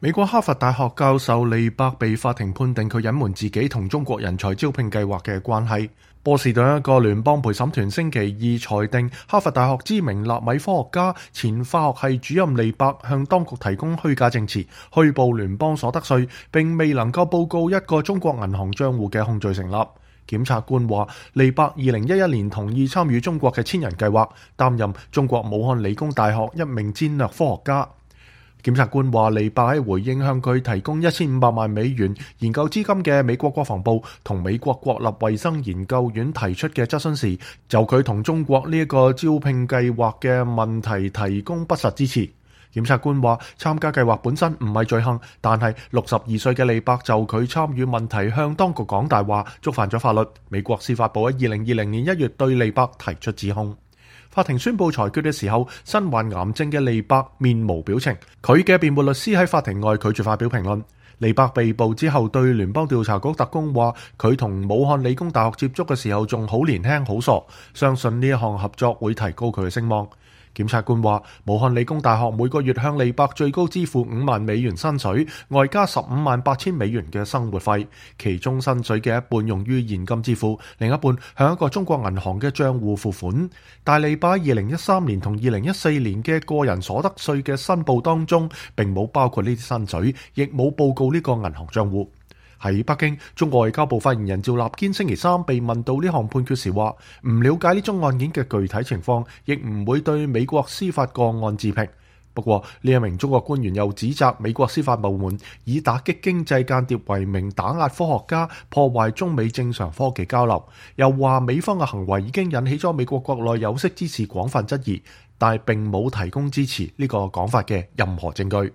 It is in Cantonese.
美國哈佛大學教授利伯被法庭判定佢隱瞞自己同中國人才招聘計劃嘅關係。波士頓一個聯邦陪審團星期二裁定，哈佛大學知名納米科學家、前化學系主任利伯向當局提供虛假證詞，虛報聯邦所得稅，並未能夠報告一個中國銀行賬戶嘅控罪成立。檢察官話，利伯2011年同意參與中國嘅千人計劃，擔任中國武漢理工大學一名戰略科學家。檢察官話，利伯喺回應向佢提供1500萬美元研究資金嘅美國國防部同美國國立衛生研究院提出嘅質詢時，就佢同中國呢一個招聘計劃嘅問題提供不實支持。檢察官話，參加計劃本身唔係罪行，但係62歲嘅利伯就佢參與問題向當局講大話，觸犯咗法律。美國司法部喺2020年1月對利伯提出指控。法庭宣布裁決嘅時候，身患癌症嘅利伯面無表情。佢嘅辯護律師喺法庭外拒絕發表評論。利伯被捕之後，對聯邦調查局特工話，佢同武漢理工大學接觸嘅時候仲好年輕好傻，相信呢一項合作會提高佢嘅聲望。檢察官話，武漢理工大學每個月向利伯最高支付5萬美元薪水，外加15萬8千美元嘅生活費，其中薪水嘅一半用於現金支付，另一半向一個中國銀行嘅賬戶付款。但利伯2013年同2014年嘅個人所得稅嘅申報當中，並冇包括呢啲薪水，亦冇報告呢個銀行賬戶。喺北京，中國外交部發言人趙立堅星期三被問到呢項判決時話，唔了解呢宗案件嘅具體情況，亦唔會對美國司法個案置評。不過呢一名中國官員又指責美國司法部門以打擊經濟間諜為名打壓科學家，破壞中美正常科技交流，又話美方嘅行為已經引起咗美國國內有識之士廣泛質疑，但係並冇提供支持呢個講法嘅任何證據。